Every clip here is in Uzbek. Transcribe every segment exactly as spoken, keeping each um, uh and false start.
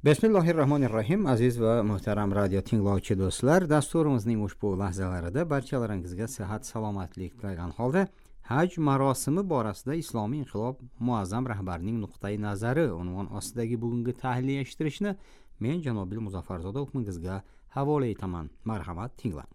Bismillahirrohmanirrohim. Aziz va muhtaram radio tinglovchi do'stlar, dasturimizning ushbu lahzalarida barchalaringizga sihat, salomatlik tilagan holda haj marosimi borasida Islomiy inqilob muazzam rahbarining nuqtai nazari unvon ostidagi bugungi tahliliy eshittirishni men Janobil Muzaffarzoda hukmingizga havola etaman. Marhamat, tinglang.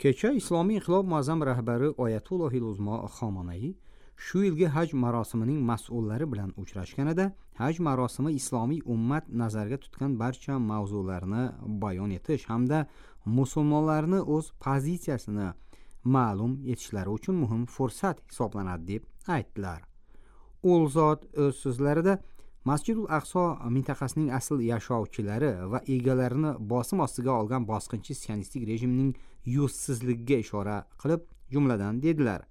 Kecha Islomiy inqilob muazzam rahbari Oyatullohil Uzmo Xomanaiy shu yilgi haj marosimining mas'ullari bilan uchrashganida haj marosimi islomiy ummat nazarga tutgan barcha mavzularni bayon etish hamda musulmonlarni o'z pozitsiyasini ma'lum etishlari uchun muhim fursat hisoblanadi deb aytdilar. U zot o'z so'zlarida Masjidul Aqso mintaqasining asl yashovchilari va egalarini bosim ostiga olgan bosqinchi sionistik rejimning yuzsizligiga ishora qilib, jumladan dedilar: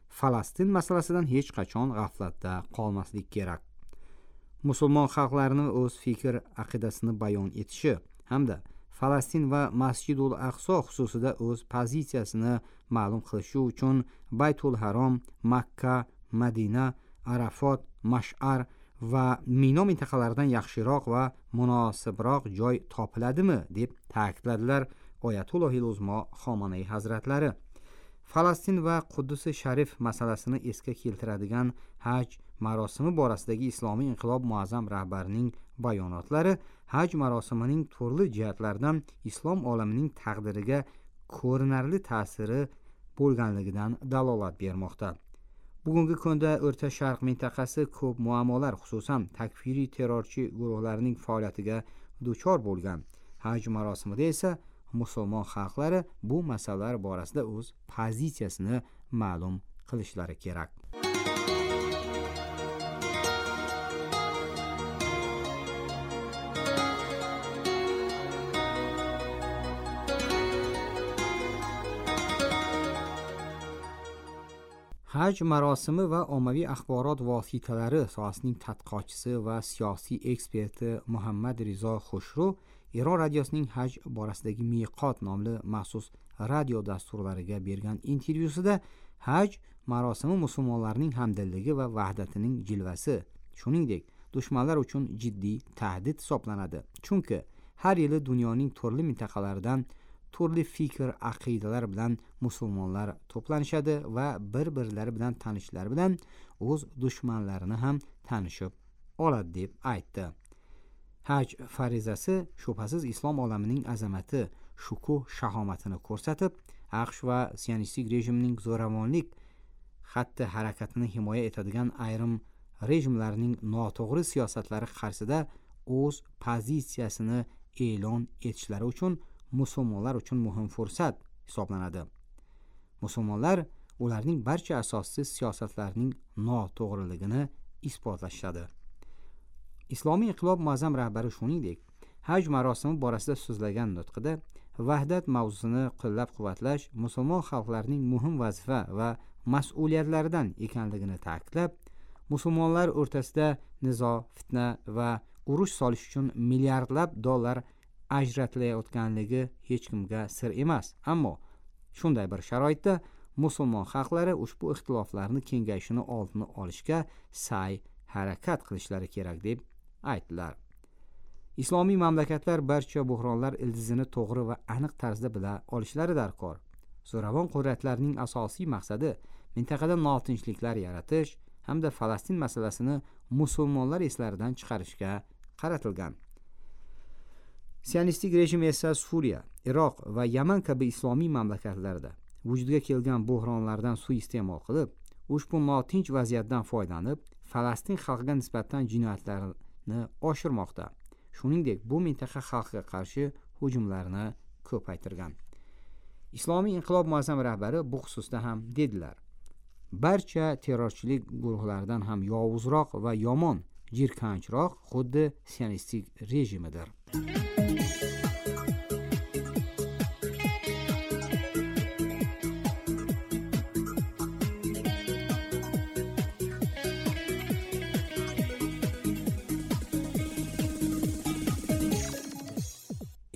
Falastin masalasidan hech qachon g'aflatda qolmaslik kerak. Musulmon xalqlarini o'z fikr aqidasini bayon etishi hamda Falastin va Masjidul Aqso xususida o'z pozitsiyasini ma'lum qilishi uchun Baytul Harom, Makka, Madina, Arafot, Mash'ar va Mino mintaqalaridan yaxshiroq va munosibroq joy topiladimi deb ta'kidladilar Oyatullohil Uzmo Xomanaiy hazratlari. Falastin va Quddusi Sharif masalasini esga keltiradigan haj marosimi borasidagi Islomiy inqilob muazzam rahbarining bayonotlari haj marosimining turli jihatlardan islom olamining taqdiriga ko'rinarli ta'siri bo'lganligidan dalolat bermoqda. Bugungi kunda O'rta Sharq mintaqasi ko'p muammolar, xususan takfiriy terrorchi guruhlarning faoliyatiga duchor bo'lgan. Haj marosimida esa musulmon xalqlari bu masalalar borasida o'z pozitsiyasini ma'lum qilishlari kerak. Haj marosimi va ommaviy axborot vositalari sohasining tadqiqotchisi va siyosiy eksperti Muhammad Rizo Xushru Eron radiosining haj borasidagi Miqot nomli maxsus radio dasturlariga bergan intervyusida haj marosimi musulmonlarning hamdilligi va vahdatining jilvasi, shuningdek, dushmanlar uchun jiddiy tahdid hisoblanadi. Chunki har yili dunyoning turli mintaqalaridan turli fikr, aqidalar bilan musulmonlar to'planishadi va bir-birlari bilan tanishlari bilan o'z dushmanlarini ham tanishib oladi deb aytdi. Haj farizasi shubhasiz islom olamining azamati, shukuh shahomatini ko'rsatib, AQSh va sionistik rejimning zo'ravonlik xatti harakatini himoya etadigan ayrim rejimlarning noto'g'ri siyosatlari qarshisida o'z pozitsiyasini e'lon etishlari uchun musulmonlar uchun muhim fursat hisoblanadi. Musulmonlar ularning barcha asossiz siyosatlarining noto'g'riligini isbotlashadi. Islomiy inqilob muazzam rahbari shuningdek, haj marosimi borasida so'zlagan nutqida vahdat mavzusini qo'llab-quvvatlash musulmon xalqlarining muhim vazifa va mas'uliyatlaridan ekanligini ta'kidlab, musulmonlar o'rtasida nizo, fitna va urush solish uchun milliardlab dollar ajratilayotganligi hech kimga sir emas. Ammo shunday bir sharoitda musulmon xalqlari ushbu ixtiloflarni kengayishini oldini olishga sa'y harakat qilishlari kerak deb aytdilar. Islomiy mamlakatlar barcha bo'hronlar ildizini to'g'ri va aniq tarzda bila olishlari darkor. Zo'ravon qudratlarning asosiy maqsadi mintaqada notinchliklar yaratish hamda Falastin masalasini musulmonlar eslaridan chiqarishga qaratilgan. Sionistik rejim esa Suriya, Iroq va Yaman kabi islomiy mamlakatlarda vujudga kelgan bo'hronlardan suiiste'mol qilib, ushbu notinch vaziyatdan foydalanib, Falastin xalqiga nisbatan jinoyatlarni oshirmoqda. Shuningdek, bu mintaqa xalqiga qarshi hujumlarni ko'paytirgan. Islomiy inqilob muazzam rahbari bu xususda ham dedilar: barcha terrorchilik guruhlaridan ham yovuzroq va yomon, jirkanchroq xuddi sionistik rejimidir.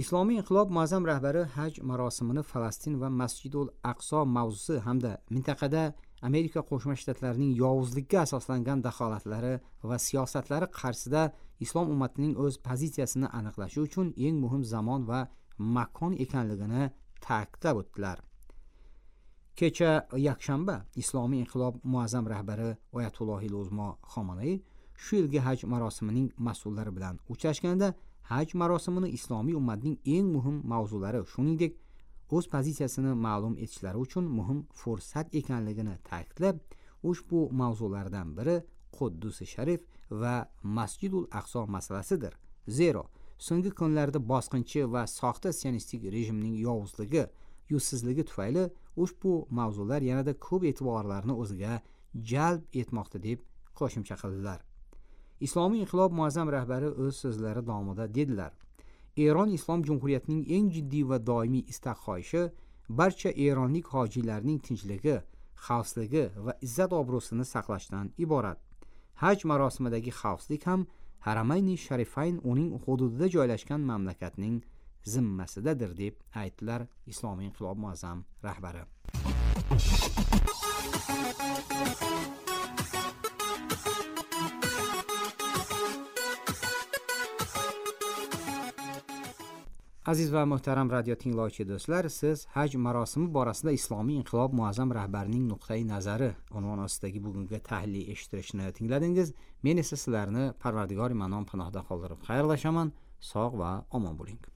Islomiy inqilob muazzam rahbari haj marosimini Falastin va Masjidul Aqso mavzusi hamda mintaqada Amerika Qo'shma Shtatlarining yovuzlikka asoslangan daxolatlari va siyosatlari qarshisida islom ummatining o'z pozitsiyasini aniqlashi uchun eng muhim zamon va makon ekanligini ta'kidlab o'tdilar. Kecha yakshanba Islomiy inqilob muazzam rahbari Oyatullohil Uzmo Xomanay shu yilgi haj marosimining mas'ullari bilan uchrashganda haj marosimini islomiy ummatning eng muhim mavzulari, shuningdek o'z pozitsiyasini ma'lum etishlari uchun muhim fursat ekanligini ta'kidlab, ushbu mavzulardan biri Quddusi Sharif va Masjidul Aqso masalasidir. Zero so'nggi kunlarda bosqinchi va soxta sionistik rejimning yovuzligi, yuzsizligi tufayli ushbu mavzular yanada ko'p e'tiborlarni o'ziga jalb etmoqda deb qo'shimcha qildilar. Islomiy inqilob muazzam rahbari o'z so'zlari davomida dedilar: Eron Islom Jumhuriyatining eng jiddiy va doimiy istak xohishi barcha eronlik hojilarning tinchligi, xavfsizligi va izzat obro'sini saqlashdan iborat. Haj marosimidagi xavfsizlik ham Haramayni Sharifayn uning hududida joylashgan mamlakatning zimmasidadir deb aytdilar Islomiy inqilob muazzam rahbari. Aziz va muhtaram radio tinglovchi do'stlar, siz haj marosimi borasida Islomiy inqilob muazzam rahbarining nuqtai nazari unvoni ostidagi bugungi tahliliy eshittirishni tingladingiz. Men esa sizlarni Parvardigor Manon panohida qoldirib xayrlashaman. Sog' va omon bo'ling.